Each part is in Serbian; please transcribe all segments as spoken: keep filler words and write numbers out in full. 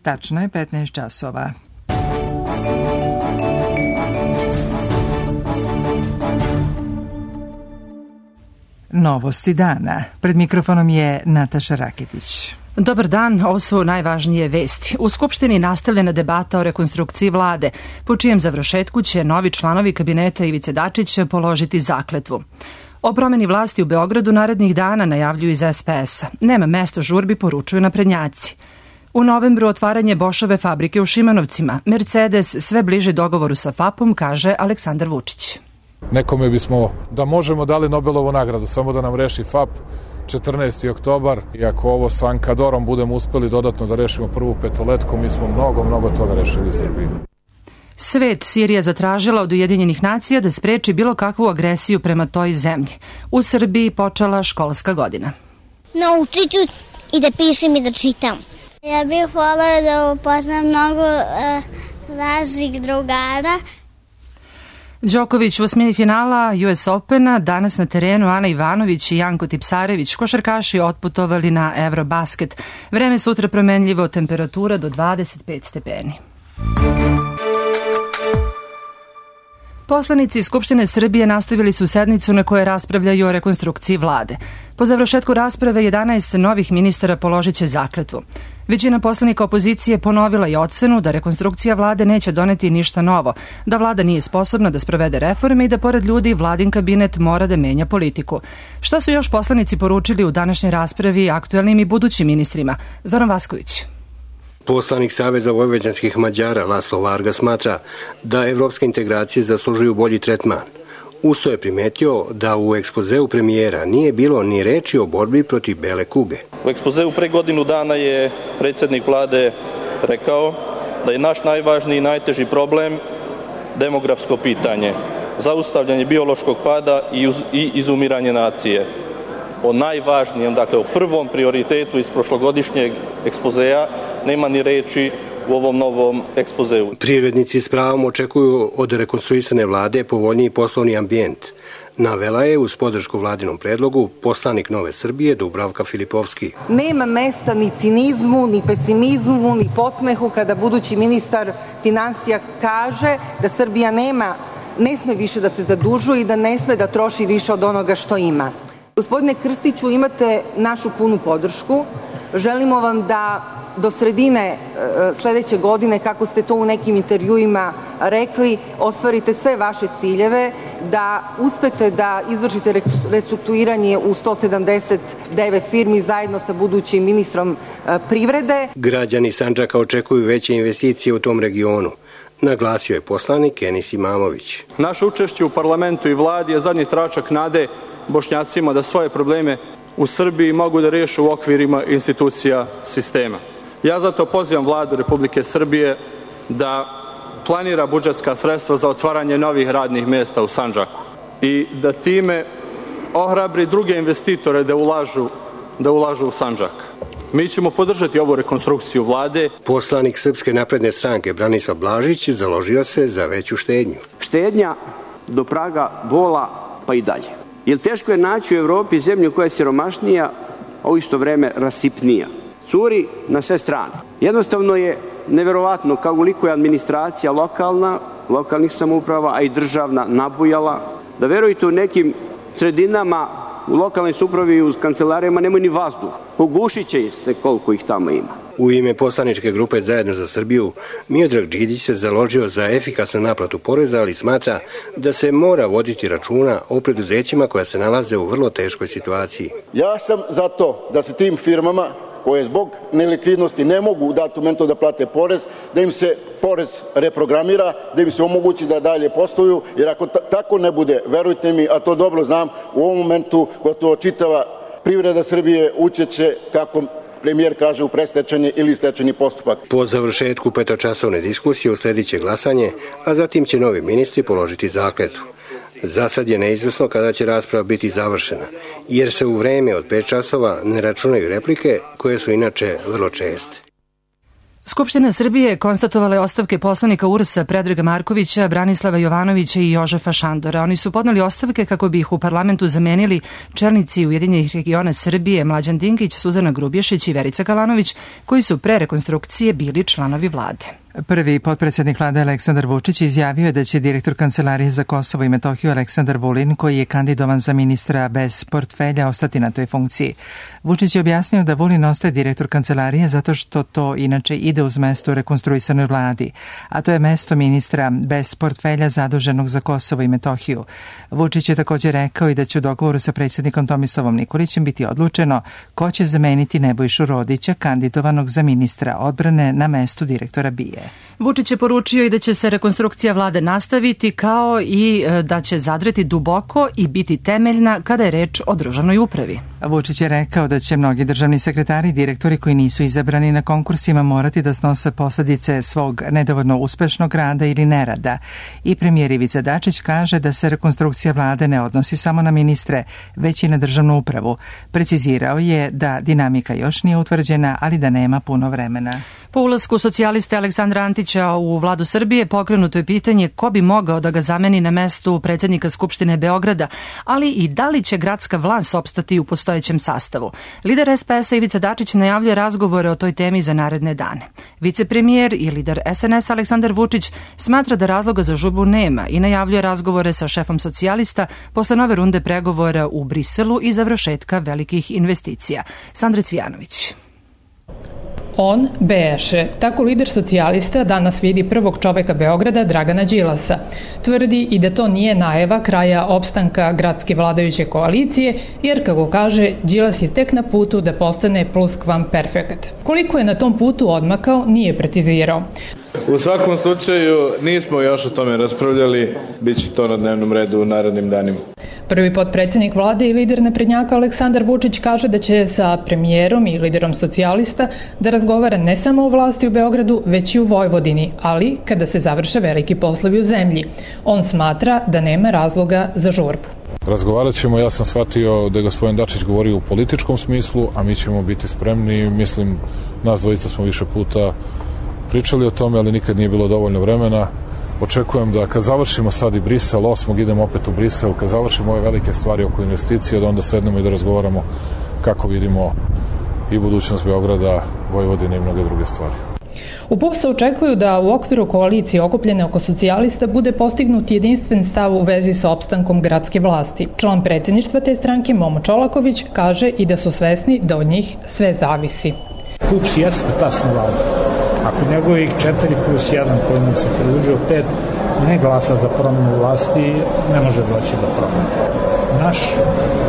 Tačno je petnaest časova. Novosti dana. Pred mikrofonom je Nataša Raketić. Dobar dan, ovo su najvažnije vesti. U Skupštini nastavljena debata o rekonstrukciji vlade, po čijem završetku će novi članovi kabineta Ivice Dačića položiti zakletvu. O promeni vlasti u Beogradu narednih dana najavljuju iz es pe es a. Nema mesta žurbi, poručuju naprednjaci. U novembru otvaranje Bošove fabrike u Šimanovcima. Mercedes sve bliže dogovoru sa fapom, kaže Aleksandar Vučić. Nekome bismo, da možemo, dali Nobelovu nagradu, samo da nam reši fap četrnaesti oktobar. I ako ovo sa Ankadorom budemo uspeli dodatno da rešimo prvu petoletku, mi smo mnogo, mnogo toga rešili u Srbiji. Svet Sirija zatražila od Ujedinjenih nacija da spreči bilo kakvu agresiju prema toj zemlji. U Srbiji počela školska godina. Naučit ću i da pišem i da čitam. Ja bih volila da upoznam mnogo uh, raznih drugara. Đoković u osmini finala U S Opena, danas na terenu Ana Ivanović i Janko Tipsarević, košarkaši otputovali na Eurobasket. Vreme sutra promenljivo, temperatura do dvadeset pet stepeni. Poslanici Skupštine Srbije nastavili su sednicu na kojoj raspravljaju o rekonstrukciji vlade. Po završetku rasprave jedanaest novih ministara položit će zakletvu. Većina poslanika opozicije ponovila je ocenu da rekonstrukcija vlade neće doneti ništa novo, da vlada nije sposobna da sprovede reforme i da pored ljudi vladin kabinet mora da menja politiku. Šta su još poslanici poručili u današnjoj raspravi aktuelnim i budućim ministrima? Zoran Vasković. Poslanik Saveza vojvođanskih Mađara Laslo Varga smatra da evropske integracije zaslužuju bolji tretman. Usto je primetio da u ekspozeu premijera nije bilo ni reči o borbi protiv bele kuge. U ekspozeu pre godinu dana je predsjednik vlade rekao da je naš najvažniji i najteži problem demografsko pitanje, zaustavljanje biološkog pada i izumiranje nacije. O najvažnijem, dakle o prvom prioritetu iz prošlogodišnjeg ekspozea nema ni reči u ovom novom ekspozeu. Privrednici s pravom očekuju od rekonstruisane vlade povoljniji poslovni ambijent. Navela je uz podršku vladinom predlogu poslanik Nove Srbije Dubravka Filipovski. Nema mesta ni cinizmu, ni pesimizmu, ni podsmehu kada budući ministar finansija kaže da Srbija nema, ne sme više da se zadužuje i da ne sme da troši više od onoga što ima. Gospodine Krstiću, imate našu punu podršku. Želimo vam da do sredine sledeće godine, kako ste to u nekim intervjuima rekli, ostvarite sve vaše ciljeve, da uspete da izvršite restrukturiranje u sto sedamdeset devet firmi zajedno sa budućim ministrom privrede. Građani Sandžaka očekuju veće investicije u tom regionu, naglasio je poslanik Enis Imamović. Naše učešće u parlamentu i vladi je zadnji tračak nade Bošnjacima da svoje probleme u Srbiji mogu da riješe u okvirima institucija sistema. Ja zato pozivam vladu Republike Srbije da planira budžetska sredstva za otvaranje novih radnih mjesta u Sandžaku i da time ohrabri druge investitore da ulažu, da ulažu u Sandžak. Mi ćemo podržati ovu rekonstrukciju vlade. Poslanik Srpske napredne stranke Branislav Blažić založio se za veću štednju. Štednja do praga bola pa i dalje. Jer teško je naći u Evropi zemlju koja je siromašnija, a u isto vreme rasipnija. Curi na sve strane. Jednostavno je neverovatno koliko je administracija lokalna, lokalnih samouprava, a i državna nabujala, da verujete u nekim sredinama u lokalnoj samoupravi i u kancelarijama nemaju ni vazduh. Pogušit će se koliko ih tamo ima. U ime poslaničke grupe Zajedno za Srbiju, Miodrag Đidić se založio za efikasnu naplatu poreza, ali smatra da se mora voditi računa o preduzećima koja se nalaze u vrlo teškoj situaciji. Ja sam za to da se tim firmama koje zbog nelikvidnosti ne mogu u datom momentu da plate porez, da im se porez reprogramira, da im se omogući da dalje posluju, jer ako tako ne bude, verujte mi, a to dobro znam, u ovom momentu gotovo čitava privreda Srbije učeće, kako premijer kaže, u predstečajni ili stečajni postupak. Po završetku petočasovne diskusije usledit će glasanje, a zatim će novi ministri položiti zakletvu. Za sad je neizvesno kada će rasprava biti završena, jer se u vreme od pet časova ne računaju replike koje su inače vrlo česte. Skupština Srbije konstatovala je ostavke poslanika U R S-a Predraga Markovića, Branislava Jovanovića i Jožefa Šandora. Oni su podneli ostavke kako bi ih u parlamentu zamenili čelnici Ujedinjenih regiona Srbije Mlađan Dinkić, Suzana Grubješić i Verica Kalanović, koji su pre rekonstrukcije bili članovi vlade. Prvi potpredsjednik vlade Aleksandar Vučić izjavio je da će direktor Kancelarije za Kosovo i Metohiju Aleksandar Vulin, koji je kandidovan za ministra bez portfelja, ostati na toj funkciji. Vučić je objasnio da Vulin ostaje direktor Kancelarije zato što to inače ide uz mesto u rekonstruisanoj vladi, a to je mesto ministra bez portfelja zaduženog za Kosovo i Metohiju. Vučić je također rekao i da će u dogovoru sa predsjednikom Tomislavom Nikolićem biti odlučeno ko će zameniti Nebojšu Rodića, kandidovanog za ministra odbrane na mestu direktora B I A. Vučić je poručio i da će se rekonstrukcija vlade nastaviti, kao i da će zadreti duboko i biti temeljna kada je reč o državnoj upravi. Vučić je rekao da će mnogi državni sekretari i direktori koji nisu izabrani na konkursima morati da snose posledice svog nedovoljno uspešnog rada ili nerada. I premijer Ivica Dačić kaže da se rekonstrukcija vlade ne odnosi samo na ministre, već i na državnu upravu. Precizirao je da dinamika još nije utvrđena, ali da nema puno vremena. Po ulasku socijaliste Aleksandra Antića u vladu Srbije pokrenuto je pitanje ko bi mogao da ga zameni na mestu predsjednika Skupštine Beograda, ali i da li će gradska vlast opstati u postojećem sastavu. Lider S P S-a Ivica Dačić najavljuje razgovore o toj temi za naredne dane. Vicepremijer i lider S N S Aleksandar Vučić smatra da razloga za žurbu nema i najavljuje razgovore sa šefom socijalista posle nove runde pregovora u Briselu i završetka velikih investicija. Sandra Cvijanović. On beše, tako lider socijalista danas vidi prvog čoveka Beograda Dragana Đilasa. Tvrdi i da to nije najava kraja opstanka gradske vladajuće koalicije, jer kako kaže, Đilas je tek na putu da postane pluskvamperfekt. Koliko je na tom putu odmakao, nije precizirao. U svakom slučaju nismo još o tome raspravljali, bit će to na dnevnom redu u narednim danima. Prvi potpredsjednik vlade i lider naprednjaka Aleksandar Vučić kaže da će sa premijerom i liderom socijalista da razgovara ne samo o vlasti u Beogradu, već i u Vojvodini, ali kada se završe veliki poslovi u zemlji. On smatra da nema razloga za žurbu. Razgovarat ćemo, ja sam shvatio da je gospodin Dačić govorio u političkom smislu, a mi ćemo biti spremni. Mislim, nas dvojica smo više puta pričali o tome, ali nikad nije bilo dovoljno vremena. Očekujem da kad završimo sad i Brisel, osmog idemo opet u Brisel, kad završimo ove velike stvari oko investicije, da onda sednemo i da razgovaramo kako vidimo i budućnost Beograda, Vojvodine i mnoge druge stvari. U P U P S-u očekuju da u okviru koalicije okupljene oko socijalista bude postignut jedinstven stav u vezi sa opstankom gradske vlasti. Član predsjedništva te stranke Momo Čolaković kaže i da su svesni da od njih sve zavisi. P U P S jeste tasna vlada. Ako njegovih četiri plus jedan koji nam se pridružio pet ne glasa za promjenu vlasti, ne može doći do promjene. Naš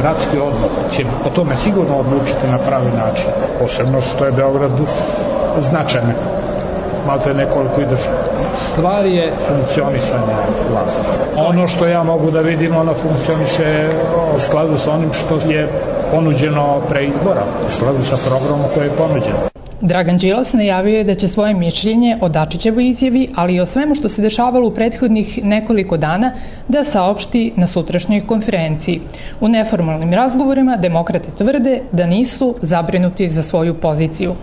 gradski odbor će o tome sigurno odlučiti na pravi način. Posebno što je Beogradu značajno. Malo je nekoliko i država. Stvar je funkcionisanje vlasti. Ono što ja mogu da vidim, ono funkcioniše u skladu sa onim što je ponuđeno pre izbora, u skladu sa programom koji je ponuđen. Dragan Đilas najavio je da će svoje mišljenje o Dačićevoj izjavi, ali i o svemu što se dešavalo u prethodnih nekoliko dana, da saopšti na sutrašnjoj konferenciji. U neformalnim razgovorima demokrate tvrde da nisu zabrinuti za svoju poziciju.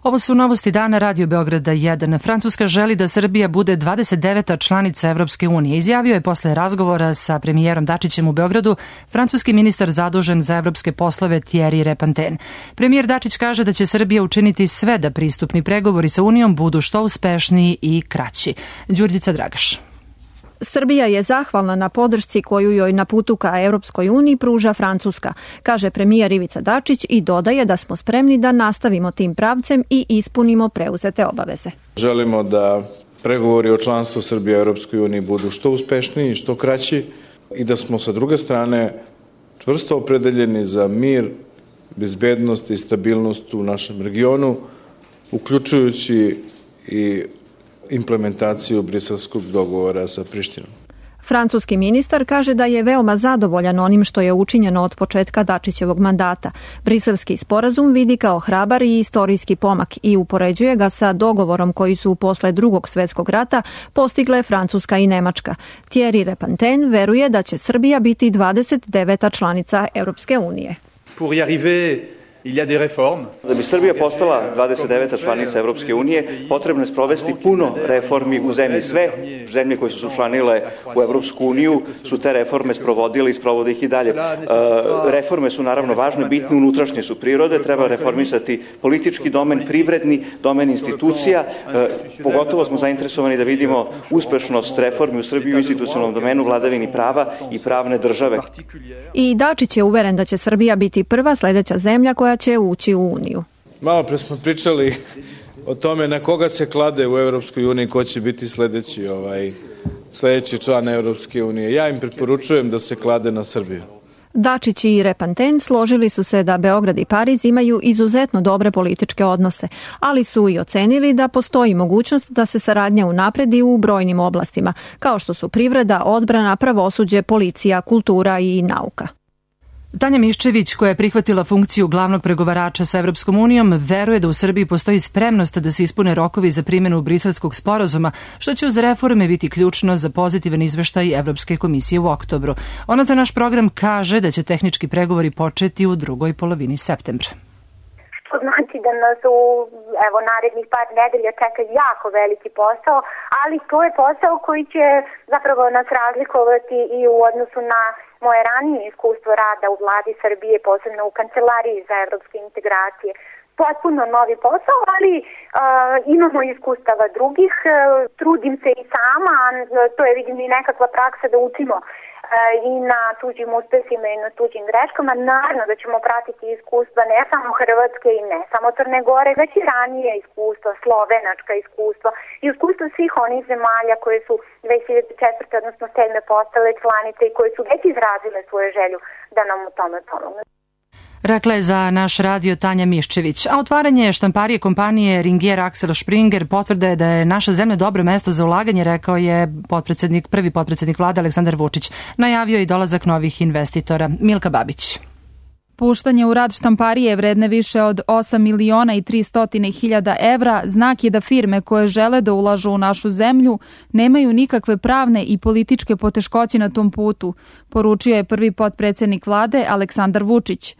Ovo su novosti dana Radio Beograda jedan. Francuska želi da Srbija bude dvadeset deveta članica Evropske unije. Izjavio je posle razgovora sa premijerom Dačićem u Beogradu francuski ministar zadužen za evropske poslove Thierry Repanten. Premijer Dačić kaže da će Srbija učiniti sve da pristupni pregovori sa Unijom budu što uspešniji i kraći. Đurđica Dragaš. Srbija je zahvalna na podršci koju joj na putu ka Europskoj uniji pruža Francuska, kaže premijer Ivica Dačić i dodaje da smo spremni da nastavimo tim pravcem i ispunimo preuzete obaveze. Želimo da pregovori o članstvu Srbije u Europskoj uniji budu što uspešniji i što kraći i da smo sa druge strane čvrsto opredeljeni za mir, bezbednost i stabilnost u našem regionu, uključujući i implementaciju briselskog dogovora sa Prištinom. Francuski ministar kaže da je veoma zadovoljan onim što je učinjeno od početka Dačićevog mandata. Briselski sporazum vidi kao hrabar i istorijski pomak i upoređuje ga sa dogovorom koji su posle drugog svjetskog rata postigle Francuska i Nemačka. Thierry Repanten veruje da će Srbija biti dvadeset deveta članica Europske unije. Pour y arriver, Da bi Srbija postala dvadeset deveta članica Evropske unije, potrebno je sprovesti puno reformi u zemlji. Sve zemlje koje su se učlanile u Evropsku uniju su te reforme sprovodile i sprovode ih i dalje. Reforme su naravno važne, bitne, unutrašnje su prirode, treba reformisati politički domen, privredni domen institucija. Pogotovo smo zainteresovani da vidimo uspešnost reformi u Srbiji u institucionalnom domenu, vladavini prava i pravne države. I Dačić je uveren da će Srbija biti prva sledeća zemlja koja će ući u Uniju. Malo pre smo pričali o tome na koga se klade u Evropskoj uniji, ko će biti sledeći, ovaj, sledeći član Evropske unije. Ja im preporučujem da se klade na Srbiju. Dačić i Repanten složili su se da Beograd i Pariz imaju izuzetno dobre političke odnose, ali su i ocenili da postoji mogućnost da se saradnja unapredi u brojnim oblastima, kao što su privreda, odbrana, pravosuđe, policija, kultura i nauka. Tanja Miščević, koja je prihvatila funkciju glavnog pregovarača sa Evropskom unijom, veruje da u Srbiji postoji spremnost da se ispune rokovi za primjenu Briselskog sporazuma, što će uz reforme biti ključno za pozitivan izveštaj Evropske komisije u oktobru. Ona za naš program kaže da će tehnički pregovori početi u drugoj polovini septembra. Što znači da nas u evo, narednih par nedelja čeka jako veliki posao, ali to je posao koji će zapravo nas razlikovati i u odnosu na moje ranije iskustvo rada u vladi Srbije, posebno u kancelariji za evropske integracije. Potpuno novi posao, ali uh, imamo iskustava drugih, uh, trudim se i sama, to je vidim i nekakva praksa da učimo uh, i na tuđim uspesima i na tuđim greškama. Naravno da ćemo pratiti iskustva ne samo Hrvatske i ne samo Crne Gore, već i ranije iskustva, slovenačka iskustva i iskustva svih onih zemalja koje su dve hiljade četvrte odnosno sedme postale članice i koje su već izrazile svoju želju da nam u tome pomogne. Rekla je za naš radio Tanja Miščević. A otvaranje štamparije kompanije Ringier Axel Springer potvrda je da je naša zemlja dobro mesto za ulaganje, rekao je potpredsednik, prvi potpredsednik vlade Aleksandar Vučić. Najavio i dolazak novih investitora. Milka Babić. Puštanje u rad štamparije vredne više od osam miliona i tristo hiljada evra znak je da firme koje žele da ulažu u našu zemlju nemaju nikakve pravne i političke poteškoće na tom putu, poručio je prvi potpredsednik vlade Aleksandar Vučić.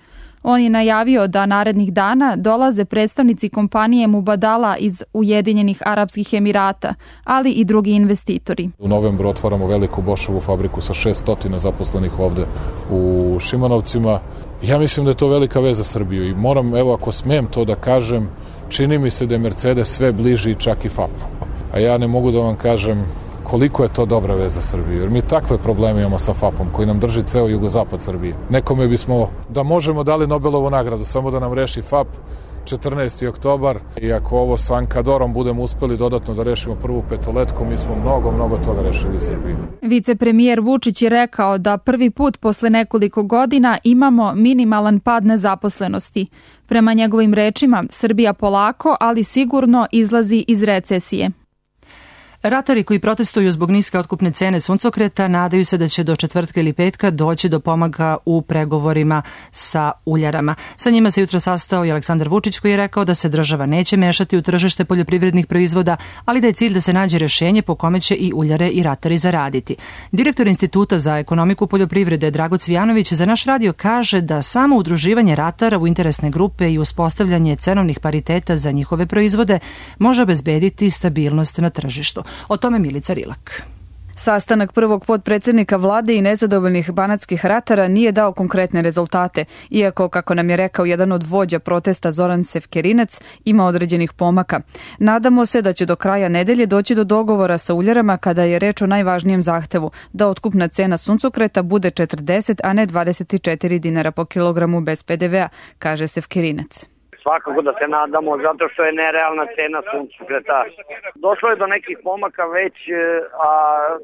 On je najavio da narednih dana dolaze predstavnici kompanije Mubadala iz Ujedinjenih Arapskih Emirata, ali i drugi investitori. U novembru otvaramo veliku Bošovu fabriku sa šessto zaposlenih ovde u Šimanovcima. Ja mislim da je to velika veza za Srbiju i moram, evo ako smem to da kažem, čini mi se da je Mercedes sve bliži čak i fapu. A ja ne mogu da vam kažem koliko je to dobra veza za Srbiju, jer mi takve probleme imamo sa fapom koji nam drži ceo jugozapad Srbije. Nekome bismo da možemo dali Nobelovu nagradu, samo da nam reši fap četrnaesti oktobar i ako ovo sa Ankadorom budemo uspeli dodatno da rešimo prvu petoletku, mi smo mnogo, mnogo toga rešili u Srbiji. Vicepremijer Vučić je rekao da prvi put posle nekoliko godina imamo minimalan pad nezaposlenosti. Prema njegovim rečima, Srbija polako, ali sigurno izlazi iz recesije. Ratari koji protestuju zbog niske otkupne cene suncokreta nadaju se da će do četvrtka ili petka doći do pomaka u pregovorima sa uljarama. Sa njima se jutro sastao i Aleksandar Vučić koji je rekao da se država neće mešati u tržište poljoprivrednih proizvoda, ali da je cilj da se nađe rešenje po kome će i uljare i ratari zaraditi. Direktor Instituta za ekonomiku poljoprivrede Drago Cvijanović za naš radio kaže da samo udruživanje ratara u interesne grupe i uspostavljanje cenovnih pariteta za njihove proizvode može obezbediti stabilnost na tržištu. O tome Milica Rilak. Sastanak prvog potpredsednika vlade i nezadovoljnih banatskih ratara nije dao konkretne rezultate, iako, kako nam je rekao jedan od vođa protesta Zoran Sevkerinac, ima određenih pomaka. Nadamo se da će do kraja nedelje doći do dogovora sa uljarama kada je reč o najvažnijem zahtevu, da otkupna cena suncokreta bude četrdeset, a ne dvadeset četiri dinara po kilogramu bez pe de vea, kaže Sevkerinac. Svakako da se nadamo, zato što je nerealna cena suncokreta. Došlo je do nekih pomaka već, a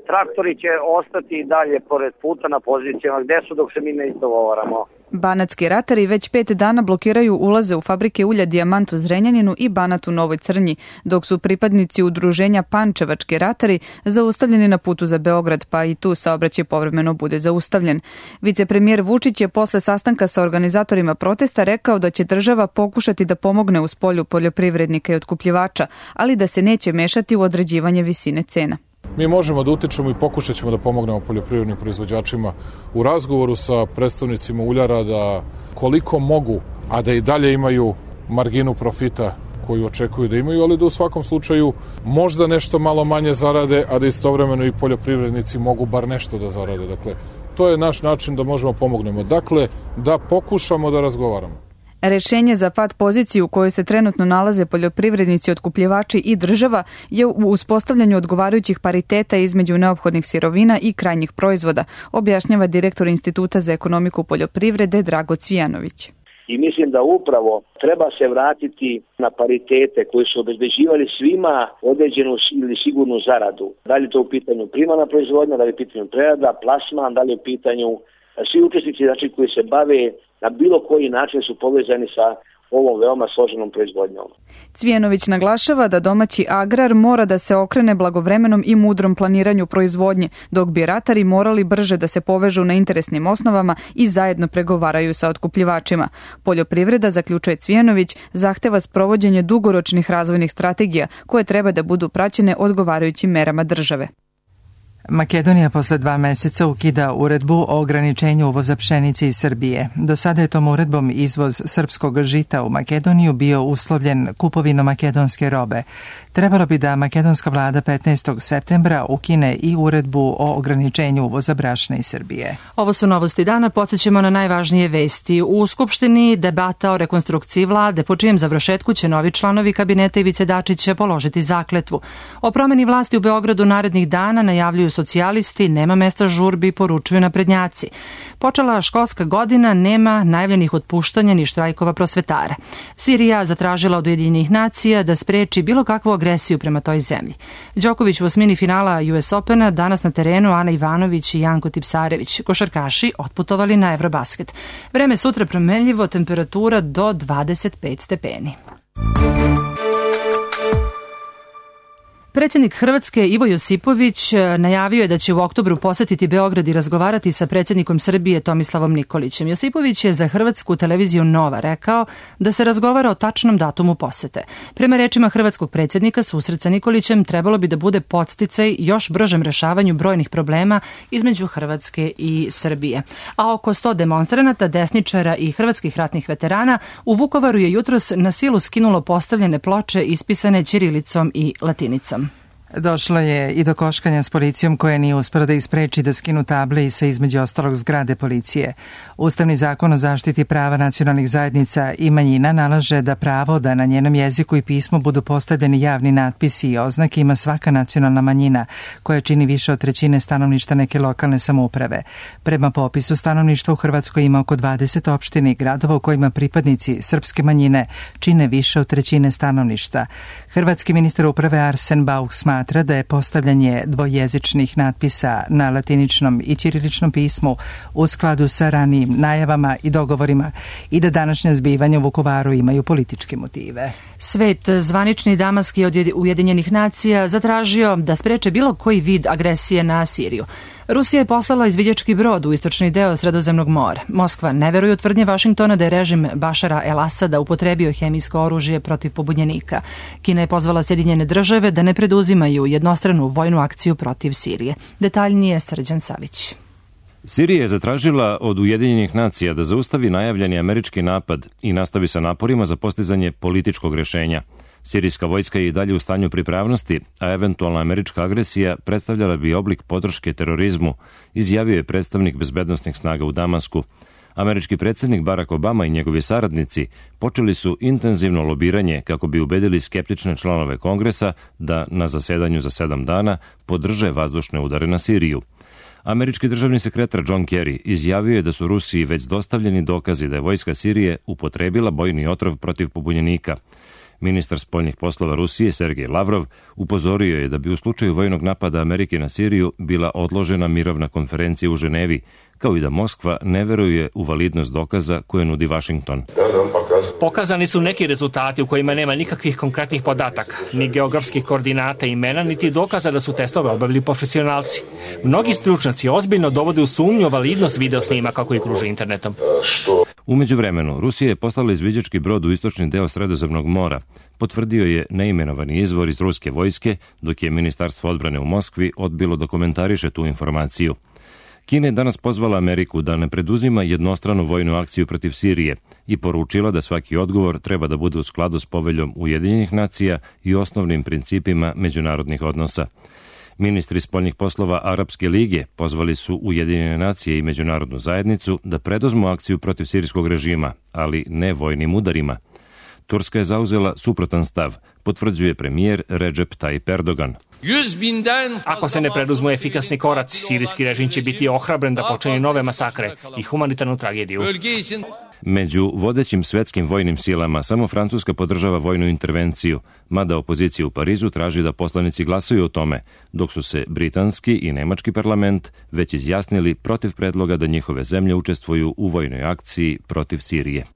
traktori će ostati i dalje pored puta na pozicijama gde su dok se mi ne izdogovaramo. Banatski ratari već pet dana blokiraju ulaze u fabrike ulja Dijamant u Zrenjaninu i Banat u Novoj Crnji, dok su pripadnici udruženja Pančevački ratari zaustavljeni na putu za Beograd, pa i tu saobraćaj povremeno bude zaustavljen. Vicepremijer Vučić je posle sastanka sa organizatorima protesta rekao da će država pokušati da pomogne u spolju poljoprivrednika i otkupljivača, ali da se neće mešati u određivanje visine cena. Mi možemo da utičemo i pokušat ćemo da pomognemo poljoprivrednim proizvođačima u razgovoru sa predstavnicima uljara da koliko mogu a da i dalje imaju marginu profita koju očekuju da imaju, ali da u svakom slučaju možda nešto malo manje zarade, a da istovremeno i poljoprivrednici mogu bar nešto da zarade. Dakle, to je naš način da možemo pomognemo. Dakle, da pokušamo da razgovaramo. Rešenje za pad poziciju u kojoj se trenutno nalaze poljoprivrednici, otkupljivači i država je u uspostavljanju odgovarajućih pariteta između neophodnih sirovina i krajnjih proizvoda, objašnjava direktor Instituta za ekonomiku poljoprivrede Drago Cvijanović. I mislim da upravo treba se vratiti na paritete koji su obezbeđivali svima određenu ili sigurnu zaradu. Da li je to u pitanju primarna proizvodnja, da li je u pitanju prerada, plasman, da li je u pitanju svi učesnici znači, koji se bave na bilo koji način su povezani sa ovom veoma složenom proizvodnjom. Cvijanović naglašava da domaći agrar mora da se okrene blagovremenom i mudrom planiranju proizvodnje, dok bi ratari morali brže da se povežu na interesnim osnovama i zajedno pregovaraju sa otkupljivačima. Poljoprivreda, zaključuje Cvijanović, zahteva sprovođenje dugoročnih razvojnih strategija koje treba da budu praćene odgovarajućim merama države. Makedonija posle dva meseca ukida uredbu o ograničenju uvoza pšenice iz Srbije. Do sada je tom uredbom izvoz srpskog žita u Makedoniju bio uslovljen kupovinom makedonske robe. Trebalo bi da makedonska vlada petnaestog septembra ukine i uredbu o ograničenju uvoza brašna iz Srbije. Ovo su novosti dana, podsjećamo na najvažnije vesti. U Skupštini debata o rekonstrukciji vlade, po čijem završetku će novi članovi kabineta Ivice Dačića položiti zakletvu. O promeni vlasti u Beogradu narednih dana najavljuju socijalisti, nema mesta žurbi, poručuju naprednjaci. Počela školska godina, nema najavljenih otpuštanja ni štrajkova prosvetara. Sirija zatražila od Ujedinjenih nacija da spreči bilo kakvu agresiju prema toj zemlji. Đoković u osmini finala U S Opena, danas na terenu Ana Ivanović i Janko Tipsarević. Košarkaši otputovali na Eurobasket. Vreme sutra promenljivo, temperatura do dvadeset pet stepeni. Predsjednik Hrvatske Ivo Josipović najavio je da će u oktobru posetiti Beograd i razgovarati sa predsjednikom Srbije Tomislavom Nikolićem. Josipović je za hrvatsku televiziju Nova rekao da se razgovara o tačnom datumu posete. Prema rečima hrvatskog predsjednika, susret sa Nikolićem trebalo bi da bude podsticaj još bržem rešavanju brojnih problema između Hrvatske i Srbije. A oko sto demonstranata, desničara i hrvatskih ratnih veterana u Vukovaru je jutros na silu skinulo postavljene ploče ispisane ćirilicom i latinicom. Došlo je i do koškanja s policijom koja nije uspela da ispreči da skinu table i sa između ostalog zgrade policije. Ustavni zakon o zaštiti prava nacionalnih zajednica i manjina nalaže da pravo da na njenom jeziku i pismu budu postavljeni javni natpisi i oznake ima svaka nacionalna manjina koja čini više od trećine stanovništva neke lokalne samouprave. Prema popisu stanovništva u Hrvatskoj ima oko dvadeset opština i gradova u kojima pripadnici srpske manjine čine više od trećine stanovništva. Hrvatski ministar uprave Arsen Bauch smatra smatra da je postavljanje dvojezičnih natpisa na latiničnom i ćiriličnom pismu u skladu sa ranijim najavama i dogovorima i da današnja zbivanja u Vukovaru imaju političke motive. Svet, zvanični Damaski od Ujedinjenih nacija, zatražio da spreče bilo koji vid agresije na Siriju. Rusija je poslala izviđački brod u istočni deo Sredozemnog mora. Moskva ne veruje u tvrdnje Vašingtona da je režim Bašara el-Asada upotrebio hemijsko oružje protiv pobunjenika. Kina je pozvala Sjedinjene države da ne preduzimaju jednostranu vojnu akciju protiv Sirije. Detaljnije Srđan Savić. Sirija je zatražila od Ujedinjenih nacija da zaustavi najavljeni američki napad i nastavi sa naporima za postizanje političkog rešenja. Sirijska vojska je i dalje u stanju pripravnosti, a eventualna američka agresija predstavljala bi oblik podrške terorizmu, izjavio je predstavnik bezbednosnih snaga u Damasku. Američki predsjednik Barack Obama i njegovi saradnici počeli su intenzivno lobiranje kako bi ubedili skeptične članove Kongresa da na zasedanju za sedam dana podrže vazdušne udare na Siriju. Američki državni sekretar John Kerry izjavio je da su Rusiji već dostavljeni dokazi da je vojska Sirije upotrebila bojni otrov protiv pobunjenika. Ministar spoljnih poslova Rusije Sergej Lavrov upozorio je da bi u slučaju vojnog napada Amerike na Siriju bila odložena mirovna konferencija u Ženevi, kao i da Moskva ne veruje u validnost dokaza koje nudi Vašington. Pokazani su neki rezultati u kojima nema nikakvih konkretnih podataka, ni geografskih koordinata imena, niti dokaza da su testove obavili profesionalci. Mnogi stručnjaci ozbiljno dovode u sumnju validnost video snimaka koji kruže internetom. U međuvremenu, Rusija je poslala izviđački brod u istočni deo Sredozemnog mora, potvrdio je neimenovani izvor iz ruske vojske, dok je Ministarstvo odbrane u Moskvi odbilo da komentariše tu informaciju. Kina je danas pozvala Ameriku da ne preduzima jednostranu vojnu akciju protiv Sirije i poručila da svaki odgovor treba da bude u skladu s poveljom Ujedinjenih nacija i osnovnim principima međunarodnih odnosa. Ministri spoljnih poslova Arapske lige pozvali su Ujedinjene nacije i međunarodnu zajednicu da preduzmu akciju protiv sirijskog režima, ali ne vojnim udarima. Turska je zauzela suprotan stav, potvrđuje premijer Recep Tayyip Erdogan. Ako se ne preduzmu efikasni koraci, sirijski režim će biti ohrabren da počne nove masakre i humanitarnu tragediju. Među vodećim svetskim vojnim silama samo Francuska podržava vojnu intervenciju, mada opozicija u Parizu traži da poslanici glasaju o tome, dok su se britanski i nemački parlament već izjasnili protiv predloga da njihove zemlje učestvuju u vojnoj akciji protiv Sirije.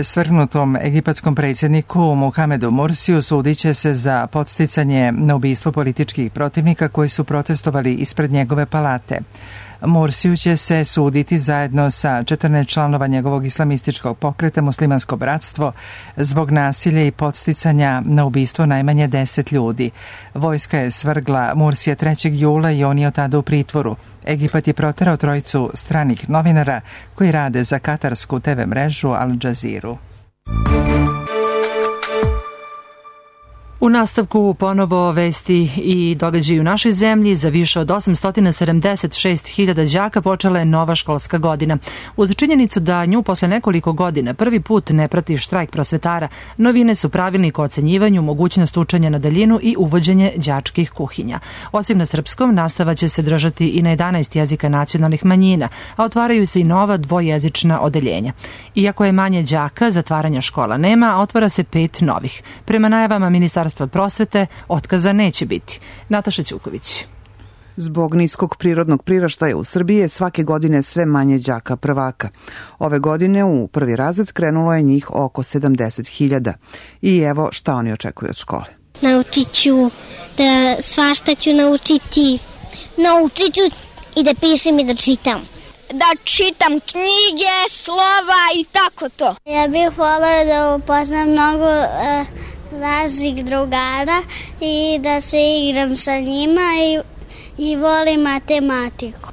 Svrgnutom egipatskom predsjedniku Mohamedu Morsiju sudit će se za podsticanje na ubistvo političkih protivnika koji su protestovali ispred njegove palate. Morsiju će se suditi zajedno sa četrnaest članova njegovog islamističkog pokreta Muslimansko bratstvo zbog nasilja i podsticanja na ubistvo najmanje deset ljudi. Vojska je svrgla Morsija trećeg jula i on je od tada u pritvoru. Egipat je proterao trojicu stranih novinara koji rade za katarsku te ve mrežu Al Jazeera. U nastavku ponovo vesti i događaji u našoj zemlji. Za više od osamsto sedamdeset šest hiljada đaka počela je nova školska godina. Uz činjenicu da nju posle nekoliko godina prvi put ne prati štrajk prosvetara, novine su pravilnik o ocenjivanju, mogućnost učenja na daljinu i uvođenje đačkih kuhinja. Osim na srpskom, nastava će se držati i na jedanaest jezika nacionalnih manjina, a otvaraju se i nova dvojezična odeljenja. Iako je manje đaka, zatvaranja škola nema, a otvara se pet novih. Prema najavama Ministarstva prosvete, otkaza neće biti. Nataša Ćuković. Zbog niskog prirodnog priraštaja u Srbiji je svake godine sve manje đaka prvaka. Ove godine u prvi razred krenulo je njih oko sedamdeset hiljada. I evo šta oni očekuju od škole. Naučit ću da svašta ću naučiti. Naučit ću i da pišem i da čitam. Da čitam knjige, slova i tako to. Ja bih volila da upoznam mnogo uh, raznih drugara i da se igram sa njima i, i volim matematiku.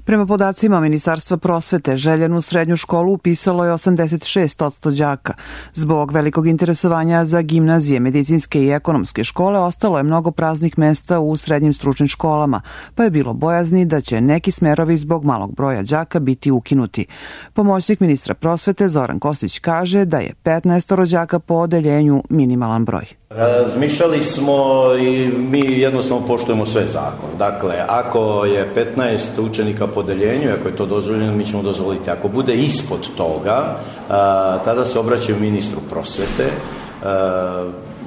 Prema podacima Ministarstva prosvete, željenu srednju školu upisalo je osamdeset šest posto đaka. Zbog velikog interesovanja za gimnazije, medicinske i ekonomske škole ostalo je mnogo praznih mesta u srednjim stručnim školama, pa je bilo bojazni da će neki smerovi zbog malog broja đaka biti ukinuti. Pomoćnik ministra prosvete Zoran Kostić kaže da je petnaest đaka po odeljenju minimalan broj. Razmišljali smo i mi jednostavno poštujemo sve zakon. Dakle, ako je petnaest učenika po odeljenju, ako je to dozvoljeno, mi ćemo dozvoliti. Ako bude ispod toga, tada se obraćaju ministru prosvete.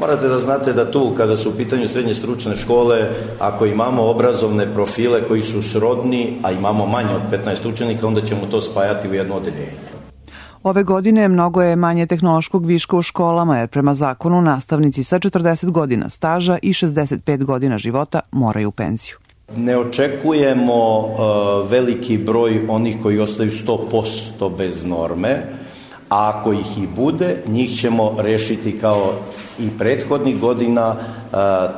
Morate da znate da tu, kada su u pitanju srednje stručne škole, ako imamo obrazovne profile koji su srodni, a imamo manje od petnaest učenika, onda ćemo to spajati u jedno odeljenje. Ove godine mnogo je manje tehnološkog viška u školama, jer prema zakonu nastavnici sa četrdeset godina staža i šezdeset pet godina života moraju u penziju. Ne očekujemo uh, veliki broj onih koji ostaju sto posto bez norme, a ako ih i bude, njih ćemo rešiti kao i prethodnih godina uh,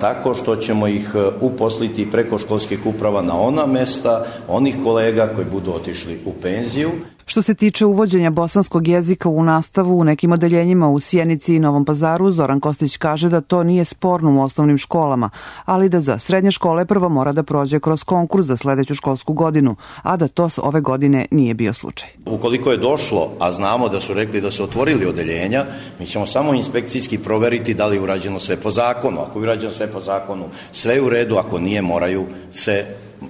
tako što ćemo ih uposliti preko školskih uprava na ona mesta onih kolega koji budu otišli u penziju. Što se tiče uvođenja bosanskog jezika u nastavu u nekim odeljenjima u Sjenici i Novom Pazaru, Zoran Kostić kaže da to nije sporno u osnovnim školama, ali da za srednje škole prvo mora da prođe kroz konkurs za sledeću školsku godinu, a da to ove godine nije bio slučaj. Ukoliko je došlo, a znamo da su rekli da su otvorili odeljenja, mi ćemo samo inspekcijski proveriti da li je urađeno sve po zakonu. Ako je urađeno sve po zakonu, sve je u redu, ako nije, moraju se uh,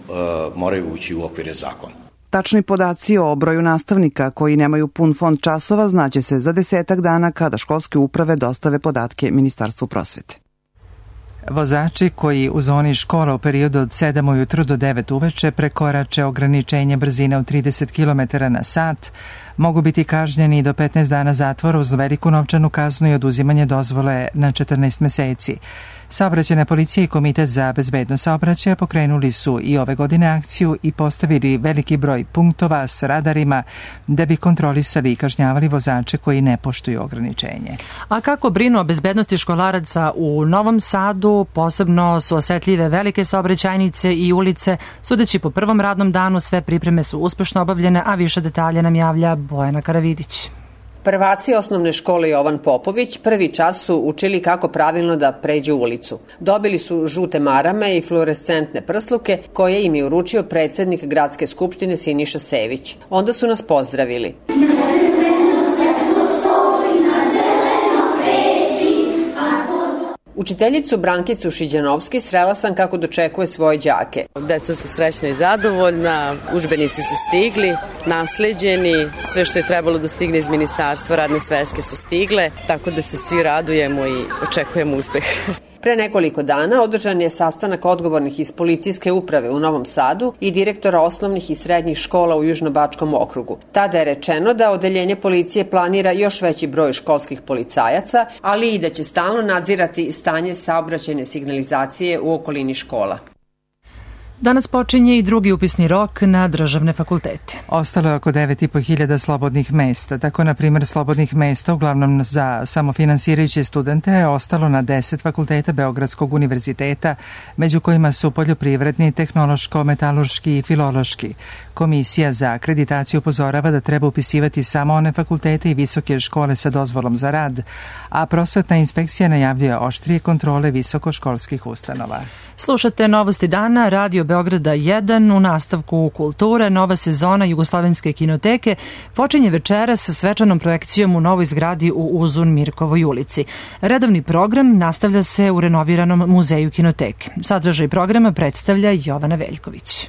moraju ući u okvire zakona. Tačni podaci o broju nastavnika koji nemaju pun fond časova znaće se za desetak dana kada školske uprave dostave podatke Ministarstvu prosvete. Vozači koji u zoni škola u periodu od sedam ujutru do devet uveče prekorače ograničenje brzine od trideset kilometara na sat mogu biti kažnjeni do petnaest dana zatvora uz veliku novčanu kaznu i oduzimanje dozvole na četrnaest meseci. Saobraćajna policija i Komitet za bezbednost saobraćaja pokrenuli su i ove godine akciju i postavili veliki broj punktova s radarima da bi kontrolisali i kažnjavali vozače koji ne poštuju ograničenje. A kako brinu o bezbednosti školaraca u Novom Sadu, posebno su osetljive velike saobraćajnice i ulice. Sudeći po prvom radnom danu, sve pripreme su uspešno obavljene, a više detalja nam javlja Bojana Karavidić. Prvaci osnovne škole Jovan Popović prvi čas su učili kako pravilno da pređu ulicu. Dobili su žute marame i fluorescentne prsluke koje im je uručio predsednik Gradske skupštine Siniša Sević. Onda su nas pozdravili. Učiteljicu Brankicu Šiđanovski srela sam kako dočekuje svoje đake. Deca su srećna i zadovoljna, udžbenici su stigli, nasleđeni, sve što je trebalo da stigne iz ministarstva, radne sveske su stigle, tako da se svi radujemo i očekujemo uspeh. Pre nekoliko dana održan je sastanak odgovornih iz policijske uprave u Novom Sadu i direktora osnovnih i srednjih škola u Južnobačkom okrugu. Tada je rečeno da odeljenje policije planira još veći broj školskih policajaca, ali i da će stalno nadzirati stanje saobraćajne signalizacije u okolini škola. Danas počinje i drugi upisni rok na državne fakultete. Ostalo je oko devet i po hiljada slobodnih mesta. Tako, na primjer, slobodnih mesta, uglavnom za samofinansirajuće studente, je ostalo na deset fakulteta Beogradskog univerziteta, među kojima su poljoprivredni, tehnološko-metalurški i filološki. Komisija za akreditaciju upozorava da treba upisivati samo one fakultete i visoke škole sa dozvolom za rad, a prosvetna inspekcija najavljuje oštrije kontrole visokoškolskih ustanova. Slušate Novosti dana, Radio Beograda jedan, u nastavku kulture. Nova sezona Jugoslovenske kinoteke počinje večeras sa svečanom projekcijom u novoj zgradi u Uzun Mirkovoj ulici. Redovni program nastavlja se u renoviranom muzeju kinoteke. Sadržaj programa predstavlja Jovana Veljković.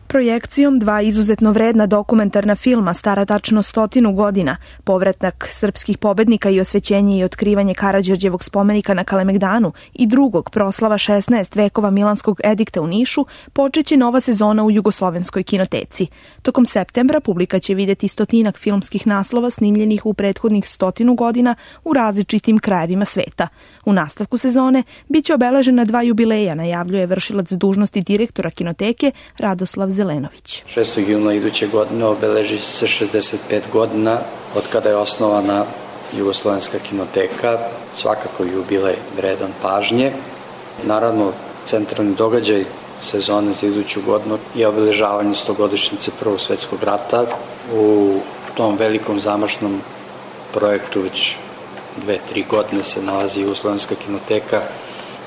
Projekcijom dva izuzetno vredna dokumentarna filma stara tačno stotinu godina, povratak srpskih pobednika i osvećenje i otkrivanje Karađorđevog spomenika na Kalemegdanu i drugog proslava šesnaest vekova Milanskog edikta u Nišu, počeće nova sezona u Jugoslovenskoj kinoteci. Tokom septembra publika će videti stotinak filmskih naslova snimljenih u prethodnih stotinu godina u različitim krajevima sveta. U nastavku sezone biće obeležena dva jubileja, najavljuje vršilac dužnosti direktora kinoteke Radoslav Zelenović. šestog juna iduće godine obeleži se šezdeset pet godina od kada je osnovana Jugoslovenska kinoteka, svakako jubilej vredan pažnje. Naravno, centralni događaj sezone za iduću godinu je obeležavanje stogodišnjice Prvog svetskog rata. U tom velikom zamašnom projektu već dve, tri godine se nalazi Jugoslovenska kinoteka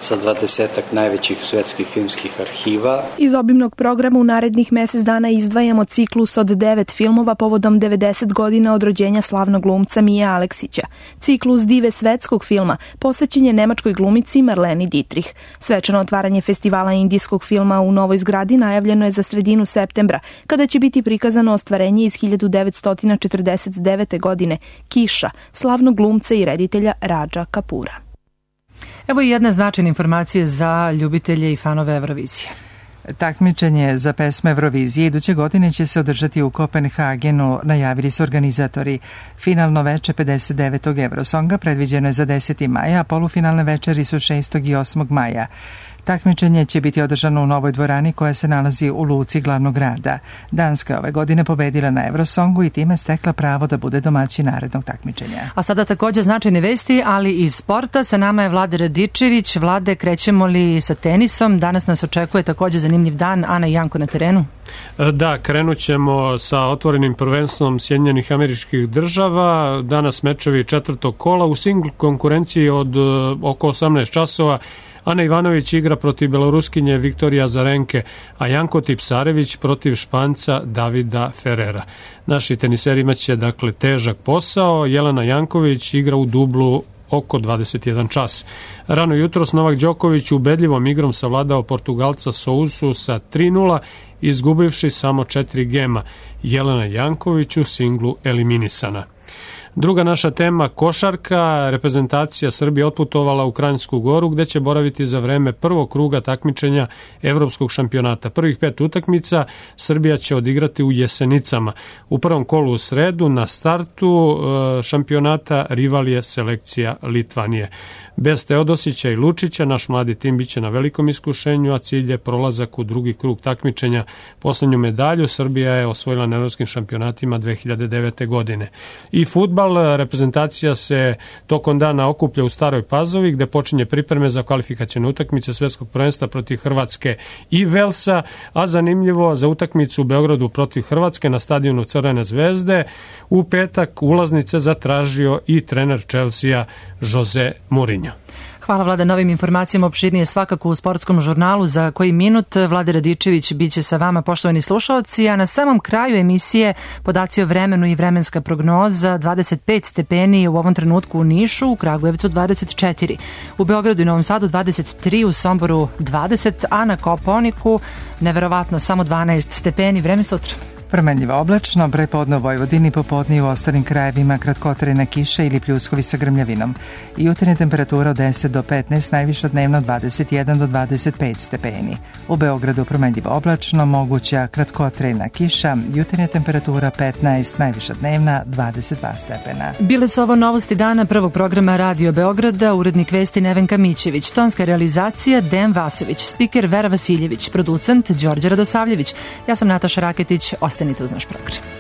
sa dvadesetak najvećih svetskih filmskih arhiva. Iz obimnog programa u narednih mesec dana izdvajamo ciklus od devet filmova povodom devedeset godina od rođenja slavnog glumca Mije Aleksića. Ciklus Dive svetskog filma posvećen je nemačkoj glumici Marleni Dietrich. Svečano otvaranje festivala indijskog filma u novoj zgradi najavljeno je za sredinu septembra, kada će biti prikazano ostvarenje iz hiljadu devetsto četrdeset devete. godine Kiša, slavnog glumca i reditelja Radža Kapura. Evo i jedna značajna informacija za ljubitelje i fanove Eurovizije. Takmičenje za pesme Eurovizije iduće godine će se održati u Kopenhagenu, najavili su organizatori. Finalno veče pedeset devetog Eurosonga predviđeno je za deseti maja, a polufinalne večeri su šestog i osmog maja. Takmičenje će biti održano u novoj dvorani koja se nalazi u luci glavnog grada. Danska je ove godine pobedila na Eurosongu i time stekla pravo da bude domaćin narednog takmičenja. A sada također značajne vesti, ali iz sporta. Sa nama je Vlade Radičević. Vlade, krećemo li sa tenisom? Danas nas očekuje također zanimljiv dan. Ana i Janko na terenu. Da, krenut ćemo sa otvorenim prvenstvom Sjedinjenih Američkih Država. Danas mečevi četvrtog kola u singl konkurenciji od oko osamnaest časova. Ana Ivanović igra protiv beloruskinje Viktorija Azarenke, a Janko Tipsarević protiv Španca Davida Ferrera. Naši teniseri imaće dakle težak posao. Jelena Janković igra u dublu oko dvadeset jedan čas. Rano jutros Novak Đoković ubedljivom igrom savladao Portugalca Sousu sa tri nula, izgubivši samo četiri gema. Jelena Janković u singlu eliminisana. Druga naša tema, košarka. Reprezentacija Srbije otputovala u Kranjsku Goru gde će boraviti za vreme prvog kruga takmičenja Evropskog šampionata. Prvih pet utakmica Srbija će odigrati u Jesenicama. U prvom kolu u sredu na startu šampionata rival je selekcija Litvanije. Bez Teodosića i Lučića naš mladi tim biće na velikom iskušenju, a cilj je prolazak u drugi krug takmičenja. Poslednju medalju Srbija je osvojila na evropskim šampionatima dve hiljade devete. godine. I fudbal, reprezentacija se tokom dana okuplja u Staroj Pazovi gde počinje pripreme za kvalifikacione utakmice svetskog prvenstva protiv Hrvatske i Velsa, a zanimljivo za utakmicu u Beogradu protiv Hrvatske na stadionu Crvene zvezde u petak ulaznice zatražio i trener Chelsea Jose Mourinho. Hvala Vlada na ovim informacijama, opširnije svakako u sportskom žurnalu za koji minut. Vlada Radičević biće sa vama, poštovani slušalci, a na samom kraju emisije podaci o vremenu i vremenska prognoza. Dvadeset pet stepeni u ovom trenutku u Nišu, u Kragujevcu dvadeset četiri, u Beogradu i Novom Sadu dvadeset tri, u Somboru dvadeset, a na Kopaoniku neverovatno samo dvanaest stepeni. Vreme sutra. Promenljivo oblačno, prepodne u Vojvodini, popodne i u ostalim krajevima kratkotrajna kiša ili pljuskovi sa grmljavinom. I jutarnja temperatura od deset do petnaest, najviša dnevno dvadeset jedan do dvadeset pet stepeni. U Beogradu promenljivo oblačno, moguća kratkotrajna kiša, jutarnja temperatura petnaest, najviša dnevna dvadeset dva stepena. Bile su ovo novosti dana prvog programa Radio Beograda, urednik vesti Nevenka Mićević, tonska realizacija Dejan Vasović, spiker Vera Vasiljević, producent Đorđe Radosavljević. Ja sam Nataša Raketić. Ostanite uz naš program.